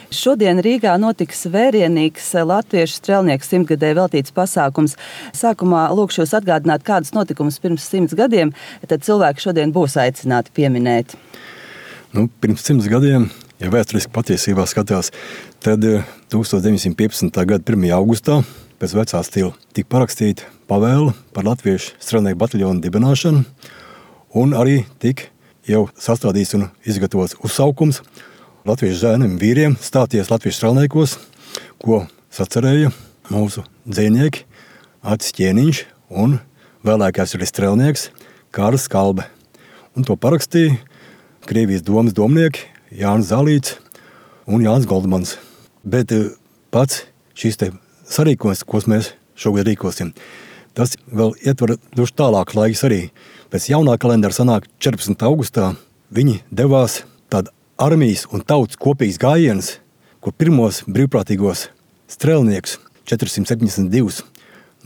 Šodien Rīgā notiks vērienīgs latviešu strēlnieku 100-gadē veltīts pasākums. Sākumā lūkšu jūs atgādināt, kādus notikumus pirms 100 gadiem tad cilvēki šodien būs aicināti pieminēt. Pirms 100 gadiem, ja vēsturiski patiesībā skatās, tad 1915. gada 1. augustā pēc vecā stila tika parakstīta pavēle par latviešu strēlnieku bataljonu dibināšanu, un arī tika jau sastādīts un izgatavots uzsaukums latviešu zēniem vīriem stāties latviešu strēlniekos, ko sacerēja mūsu dzejnieki Acis Ķēniņš un vēlākais arī strēlnieks Kārlis Skalbe. Un to parakstīja Krievijas domas domnieki Jānis Zālīts un Jānis Goldmans. Bet pats šīs te sarīkojums, ko mēs šogad rīkosim, tas vēl ietver duši tālāk laiks arī. Pēc jaunā kalendāra sanāk 14. augustā viņi devās tāda armijas un tautas kopīgs gājiens, kur pirmos brīvprātīgos strēlnieks 472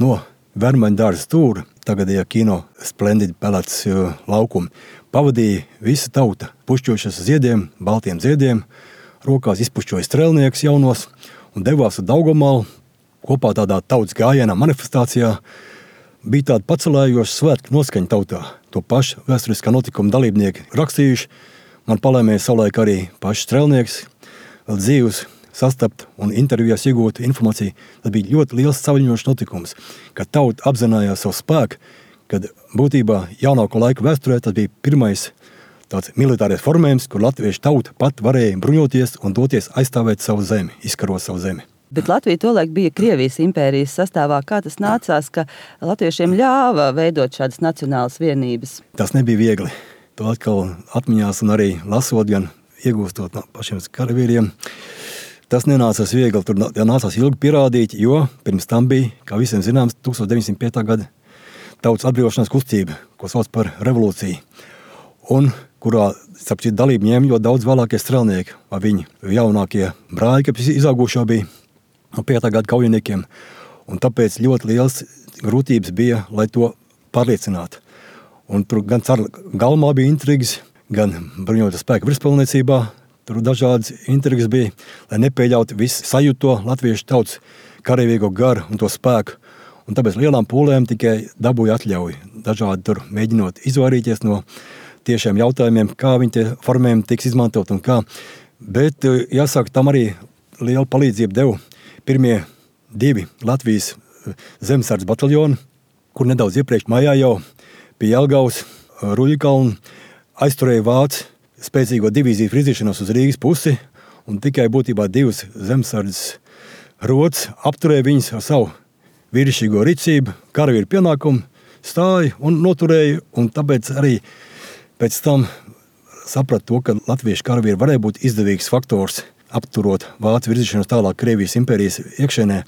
no Vermaņu dārza stūra, tagadējā kino Splendid Pelēts laukuma, pavadīja visa tauta pušķojušas ziediem, baltiem ziediem, rokās izpušķoja strēlnieks jaunos un devās uz Daugavmalu kopā tādā tautas gājienā manifestācijā. Bija tāda pacelējoša svētku noskaņa tautā. To pašu vēsturiskā notikuma dalībnieki rakstījuši. Man palēmēja savulaik arī pašs strēlnieks, vēl dzīvus sastapt un intervijās iegūt informāciju. Tas bija ļoti liels saviņošs notikums, kad tauta apzinājās savu spēku, kad būtībā jaunāko laiku vēsturē tas bija pirmais tāds militārais formējums, kur latviešu tauta pat varēja bruņoties un doties aizstāvēt savu zemi, izkarot savu zemi. Bet Latvija tolaik bija Krievijas impērijas sastāvā. Kā tas nācās, ka latviešiem ļāva veidot šādas nacionālas vienības? Tas nebija viegli. To atkal atmiņās un arī lasot, gan iegūstot no pašiem karavīriem. Tas nenācās viegli, tur nācās ilgi pierādīt, jo pirms tam bija, kā visiem zināms, 1905. gada tautas atbrīvošanās kustība, ko sauc par revolūciju, un kurā, starp citu, dalību ņēma ļoti daudz vēlākie strēlnieki, vai viņi jaunākie brāļi, kas izaugušo bija no 5. gada kaujiniekiem, un tāpēc ļoti liels grūtības bija, lai to pārliecinātu. Un tur gan cara galmā bija intrigas, gan bruņoto spēku virspilniecībā. Tur dažādas intrigas bija, lai nepieļautu visu sajūto latviešu tautas karavīgo garu un to spēku. Un tāpēc lielām pūlēm tikai dabūja atļauju. Dažādi tur mēģinot izvairīties no tiešiem jautājumiem, kā viņi tie formējumi tiks izmantot un kā. Bet jāsaka, tam arī lielu palīdzību deva pirmie 2 Latvijas zemesardzes bataljoni, kur nedaudz iepriekš maijā jau pie Jelgavas, Ruļļkalna aizturēja vācu spēcīgo divīziju virzīšanos uz Rīgas pusi, un tikai būtībā 2 zemesardzes rots apturēja viņus ar savu vīrišķīgo rīcību, karavīru pienākumu, stāja un noturēja, un tāpēc arī pēc tam saprata to, ka latviešu karavīri varēja būt izdevīgs faktors, apturot vācu virzīšanos tālāk Krievijas impērijas iekšēnē,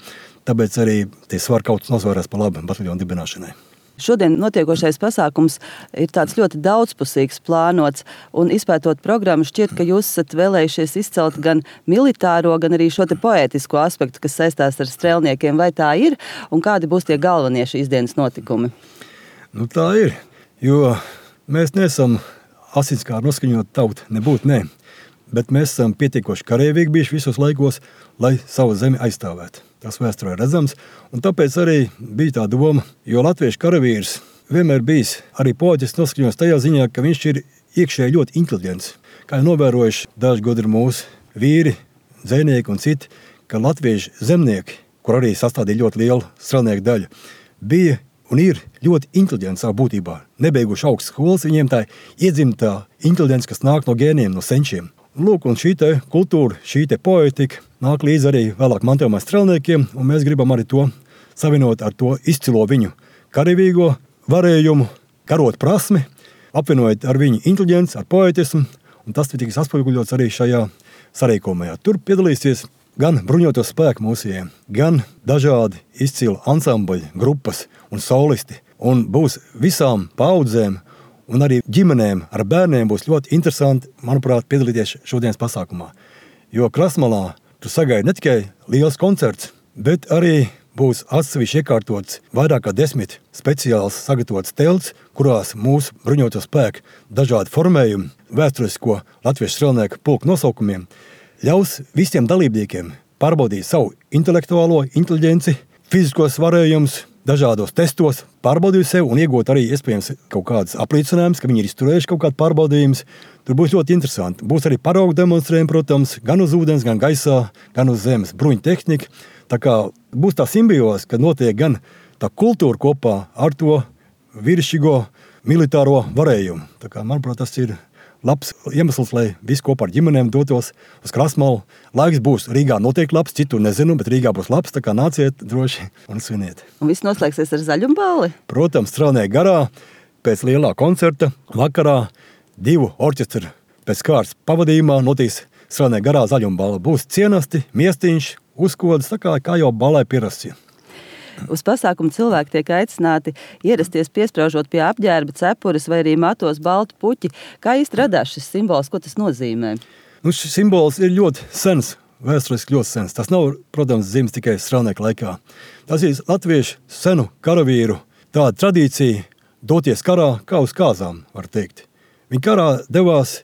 tāpēc arī tie svarkauts nosvērās pa labu bataljonu dibināšanai. Šodien notiekošais pasākums ir tāds ļoti daudzpusīgs plānots, un izpētot programmu šķiet, ka jūs esat vēlējušies izcelt gan militāro, gan arī šo te poētisko aspektu, kas saistās ar strēlniekiem. Vai tā ir, un kādi būs tie galvenie šīs dienas notikumi? Tā ir, jo mēs neesam asinskāri noskaņot tautu, nebūtu ne, bet mēs esam pietiekoši karavīgi bijuši visos laikos, lai savu zemi aizstāvētu. Tas vēsturē redzams, un tāpēc arī bija tā doma, jo latviešu karavīrs vienmēr bijis arī poētiski noskaņots tajā ziņā, ka viņš ir iekšēji ļoti inteliģents. Kā jau novērojuši daži gudri mūsu vīri, dzejnieki un citi, ka latviešu zemnieki, kur arī sastādīja ļoti lielu strēlnieku daļu, bija un ir ļoti inteliģenti savā būtībā. Nebeiguši augstas skolas, viņiem tā iedzimtā inteliģence, kas nāk no gēniem, no senčiem. Lūk, un šī te kultūra, šī te poetika nāk līdz arī vēlāk mantojumā strēlniekiem, un mēs gribam arī to savienot ar to izcilo viņu karavīgo varējumu, karot prasmi, apvienojot ar viņu inteliģenci, ar poetismu, un tas tiks atspoguļots arī šajā sarīkojumā. Tur piedalīsies gan bruņoto spēku mūsējiem, gan dažādi izcili ansambļi, grupas un solisti, un būs visām paudzēm un arī ģimenēm ar bērniem būs ļoti interesanti, manuprāt, piedalīties šodienas pasākumā. Jo Krasmalā tur sagaida ne tikai liels koncerts, bet arī būs atsevišķi iekārtots vairāk kā 10 speciāls sagatavots telts, kurās mūsu bruņoto spēku dažādi formējumi, vēsturisko latviešu strēlnieku pulku nosaukumiem ļaus visiem dalībniekiem pārbaudīt savu intelektuālo inteliģenci, fiziskos varējumus, dažādos testos, pārbaudīt sevi un iegūt arī iespējams kaut kādas apliecinājumus, ka viņi ir izturējuši kaut kādu pārbaudījumus. Tur būs ļoti interesanti. Būs arī paraugu demonstrējumi, protams, gan uz ūdens, gan gaisā, gan uz zemes bruņu tehnika. Tā kā būs tā simbioze, kad notiek gan tā kultūra kopā ar to virsšķīgo militāro varējumu. Tā kā, manuprāt, tas ir labs iemesls, lai visi kopā ar ģimenēm dotos uz Krasmalu. Laiks būs Rīgā noteikti labs, citur nezinu, bet Rīgā būs labs, tā kā nāciet droši un sviniet. Un viss noslēgsies ar zaļumballi? Protams, Strēlnieku garā pēc lielā koncerta vakarā 2 orķestri pēc kārtas pavadījumā notiks Strēlnieku garā zaļumballa. Būs cienasti, miestiņš, uzkodas, tā kā jau ballai pierasts. Uz pasākumu cilvēki tiek aicināti ierasties piespraužot pie apģērba, cepures vai arī matos baltu puķi. Kā īsti radās šis simbols, ko tas nozīmē? Šis simbols ir ļoti sens, vēsturiski ļoti sens. Tas nav, protams, dzimis tikai Strēlnieku laikā. Tas ir latviešu senu karavīru tāda tradīcija doties karā kā uz kāzām, var teikt. Viņi karā devās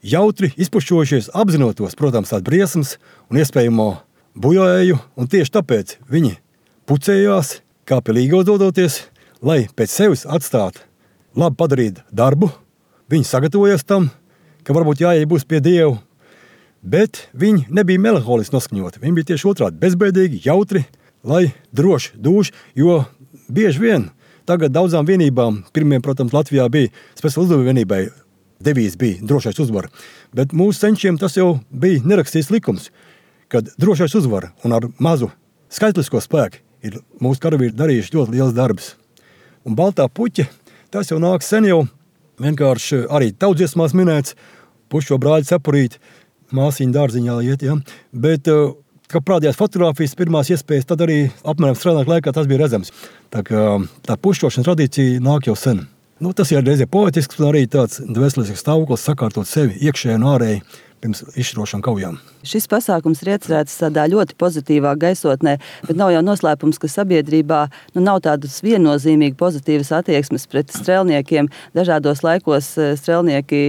jautri, izpušķojušies, apzinotos, protams, tās briesmas un iespējamo bojāēju, un tieši tāpēc viņi pucējās, kā pie līgos dodoties, lai pēc sevis atstātu labi padarīt darbu. Viņi sagatavojas tam, ka varbūt jāiet būs pie Dievu, bet viņi nebija melanholiski noskaņoti. Viņi bija tieši otrādi bezbēdīgi, jautri, lai droši dūši, jo bieži vien tagad daudzām vienībām, pirmiem, protams, Latvijā bija speciāla uzdevuma vienībai, devīze bija drošais uzvar, bet mūsu senčiem tas jau bija nerakstīts likums, kad drošais uzvar un ar mazu skaitlisko spēku ir mūsu karavīri darījuši ļoti liels darbs. Un baltā puķa, tas jau nāk sen jau, vienkārši arī tautsdziesmās minēts, pušo brāļu cepurīt, māsiņu dārziņā iet, ja? Bet, kā prādījās fotogrāfijas pirmās iespējas, tad arī apmēram Strēlnieku laikā tas bija redzams. Tā kā tā pušķošanas tradīcija nāk jau sen. Tas ir reizē poetisks un arī tāds dvēselisks stāvoklis sakārtot sevi iekšēji un ārēji pirms izšķirošām kaujām. Šis pasākums ir iecerēts tādā ļoti pozitīvā gaisotnē, bet nav jau noslēpums, ka sabiedrībā nav tādas viennozīmīgi pozitīvas attieksmes pret strēlniekiem. Dažādos laikos strēlnieki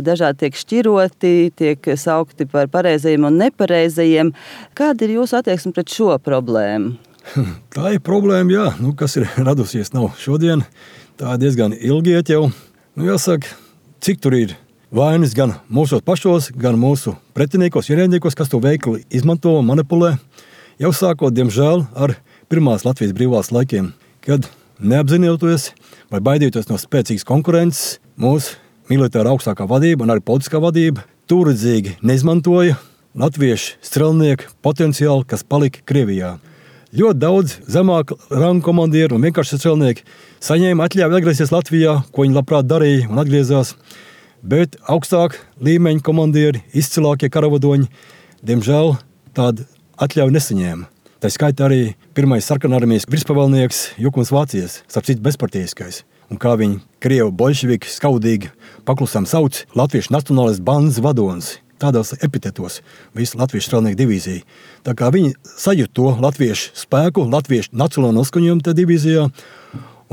dažādi tiek šķiroti, tiek saukti par pareizajiem un nepareizajiem. Kāda ir jūsu attieksme pret šo problēmu? Tā ir problēma, jā, kas ir radusies nav šodien. Tā diezgan ilgi iet jau. Jāsaka, cik tur ir vainas gan mūsos pašos, gan mūsu pretiniekos, ierēdniekos, kas to veikli izmanto un manipulē. Jau sākot, diemžēl, ar pirmās Latvijas brīvās laikiem, kad neapzinoties vai baidītos no spēcīgas konkurences, mūsu militāra augstākā vadība un arī politiskā vadība tūredzīgi neizmantoja latviešu strelnieku potenciālu, kas palika Krievijā. Ļoti daudz zemāku rangu komandieru un vienkārši strelnieki saņēma atļauju atgriezties Latvijā, ko viņi labprāt darīja un atgriezās. Bet augstāk līmeņa komandieri, izcilākie karavadoņi, diemžēl tādu atļauju nesaņēma. Tā skaitā arī pirmais sarkanarmijas virspavēlnieks Jukums Vācijas, starp citu bezpartijiskais. Un kā viņi krievu bolševiki skaudīgi paklusām sauc latviešu nacionālais bandas vadonis. Tādos epitetos visu latviešu strēlnieku divīziju. Tā kā viņi sajūt to latviešu spēku, latviešu nacionālo noskaņojumu tajā divīzijā.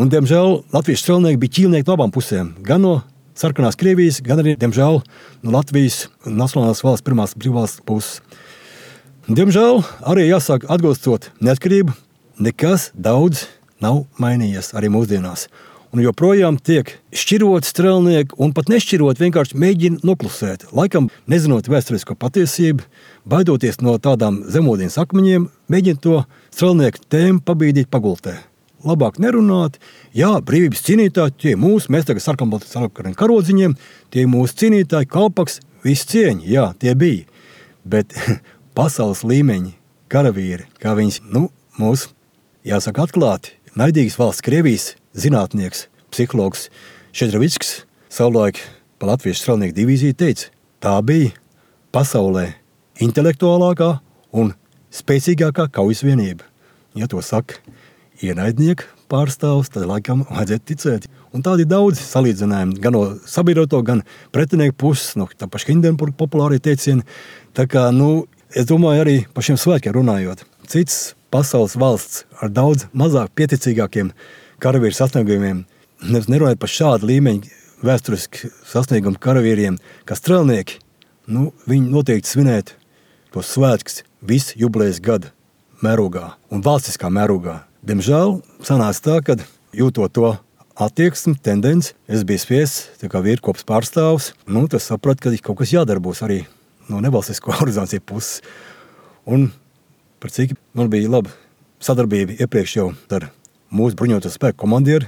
Un, diemžēl, latviešu strēlnieki bija ķīlnieki no abām pusēm. Gan no sarkanās Krievijas, gan arī, diemžēl, no Latvijas nacionālās valsts pirmās brīvvalsts puses. Diemžēl, arī jāsāk atgūstot neatkarību, nekas daudz nav mainījies arī mūsdienās. Un joprojām tiek šķirot strēlnieki un pat nešķirot, vienkārši mēģina noklusēt. Laikam, nezinot vēsturisko patiesību, baidoties no tādām zemūdienas akmeņiem, mēģina to strēlnieku tēmu pabīdīt pagultē. Labāk nerunāt, jā, brīvības cīnītāji, tie mūsu, mēs tagad sarkanbaltiem karodziņiem, tie mūsu cīnītāji, kalpaks, visi cieņi, jā, tie bija. Bet pasaules līmeņi, karavīri, kā viņas, mūsu, jāsaka atklāti, naidīgas valsts Krievijas zinātnieks, psihologs Šedrovickis savulaik pa latviešu strēlnieku divīziju teica, tā bija pasaulē intelektuālākā un spēcīgākā kaujas vienība. Ja to saka ienaidnieku pārstāvs, tad laikam vajadzētu ticēt. Un tādi daudz salīdzinājumi, gan no sabiedroto, gan pretinieku puses, no tā paša Hindenburga populārie teicieni. Tā kā, es domāju arī par šiem svētkiem runājot. Cits pasaules valsts ar daudz mazāk pieticīgākiem karavīru sasniegumiem, nerunājot par šādu līmeņu vēsturiski sasniegumu karavīriem, kā strēlnieki, viņi noteikti svinētu tos svētkus visu jubilejas gada mērogā un valstiskā mērogā. Diemžēl sanāca tā, ka jūtot to attieksmi, tendenci, es biju spiests kā vīrkopas pārstāvs. Tas sapratu, ka kaut kas jādarbos arī no nevalstisko organizāciju puses. Un par cik man bija laba sadarbība iepriekš jau ar mūsu bruņoto spēku komandieru,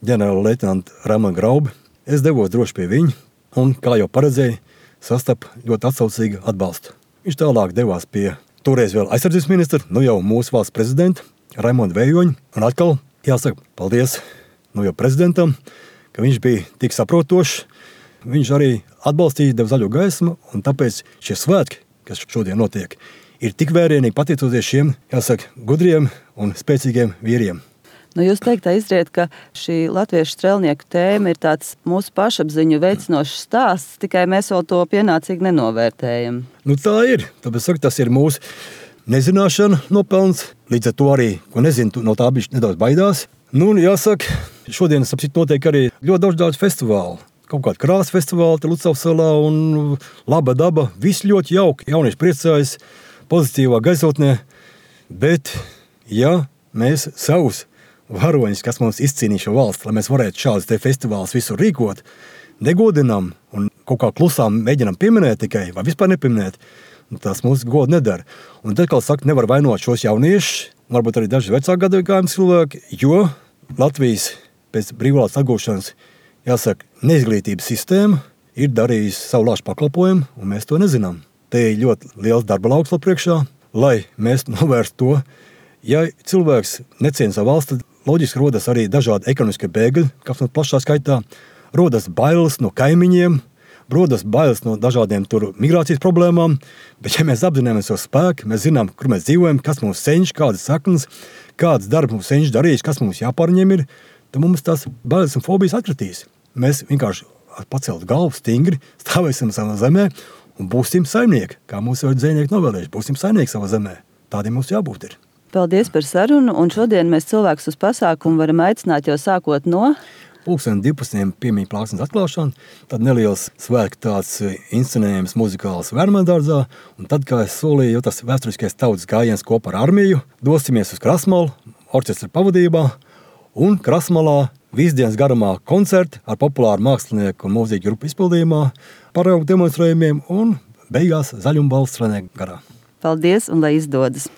ģenerāli leitenantu Raimonu Graubi. Es devos droši pie viņa un, kā jau paredzēju, sastapu ļoti atsaucīgu atbalstu. Viņš tālāk devās pie toreiz vēl aizsardzības ministra, jau mūsu valsts prezidenta Raimonda Vējoņa. Un atkal jāsaka paldies jau prezidentam, ka viņš bija tik saprotošs. Viņš arī atbalstīja, deva zaļo gaismu, un tāpēc šie svētki, kas šodien notiek, ir tik vērienīgi pateicoties šiem, jāsaka, gudriem un spēcīgiem vīriem. Jūs teiktā izriet, ka šī latviešu strēlnieku tēma ir tāds mūsu pašapziņu veicinošs stāsts, tikai mēs vēl to pienācīgi nenovērtējam. Tā ir. Tāpēc saku, tas ir mūsu nezināšana nopelns. Līdz ar to arī, ko nezinu, no tā bišķi nedaudz baidās. Jāsaka, šodien notiek arī ļoti daudz festivālu. Kaut kāda krāsa festivāla, Lucavas salā un laba daba. Viss ļoti jauki, jaunieši priecājas, pozitīvā gaisotnē. Bet, ja mēs savus varoņus, kas mums izcīnīja šo valsti, lai mēs varētu šādus te festivālus visur rīkot, negodinām un kaut kā klusām mēģinām pieminēt tikai, vai vispār nepieminēt, tas mūsu godu nedara. Un tad, kā saka, nevar vainot šos jauniešus, varbūt arī daži vecāku gadagājumu cilvēki, jo Latvijas pēc brīvvalsts atgūšanas, jāsaka, neizglītības sistēma ir darījusi savu lāšu pakalpojumu, un mēs to nezinām. Te ir ļoti liels darba lauks vēl priekšā, lai mēs novērstu to. Ja cilvēks neciena savu valsti, tad loģiski rodas arī dažādi ekonomiskie bēgļi, kas no plašā skaitā rodas bailes no kaimiņiem, rodas bailes no dažādiem migrācijas problēmām, bet ja mēs apzināmies savu spēku, mēs zinām, kur mēs dzīvojam, kas mums senč, kādas saknes, kādas darba mums senč darījis, kas mums jāpārņem ir, tad mums tās bailes un fobijas atkritīs. Mēs vienkārši pacelt galvu stingri, stāvēsim savā zemē un būsim saimnieki, kā mūsu dzejnieki novēlējuši, būsim saimnieki savā zemē. Tādiem mums jābūt ir. Paldies par sarunu, un šodien mēs cilvēkus uz pasākumu varam aicināt jau sākot no 12. piemiņu plāksnes atklāšana, tad neliels svētku tāds inscenējums muzikāls Vērmēdārzā, un tad, kā es solīju, jau tas vēsturiskais tautas gājiens kopā ar armiju, dosimies uz Krasmalu, orķestra pavadībā, un Krasmalā visdienas garumā koncerti ar populāru mākslinieku un mūziķu grupu izpildījumā, paraugu demonstrējumiem un beigās zaļumbalsts Renē garā. Paldies un lai izdodas!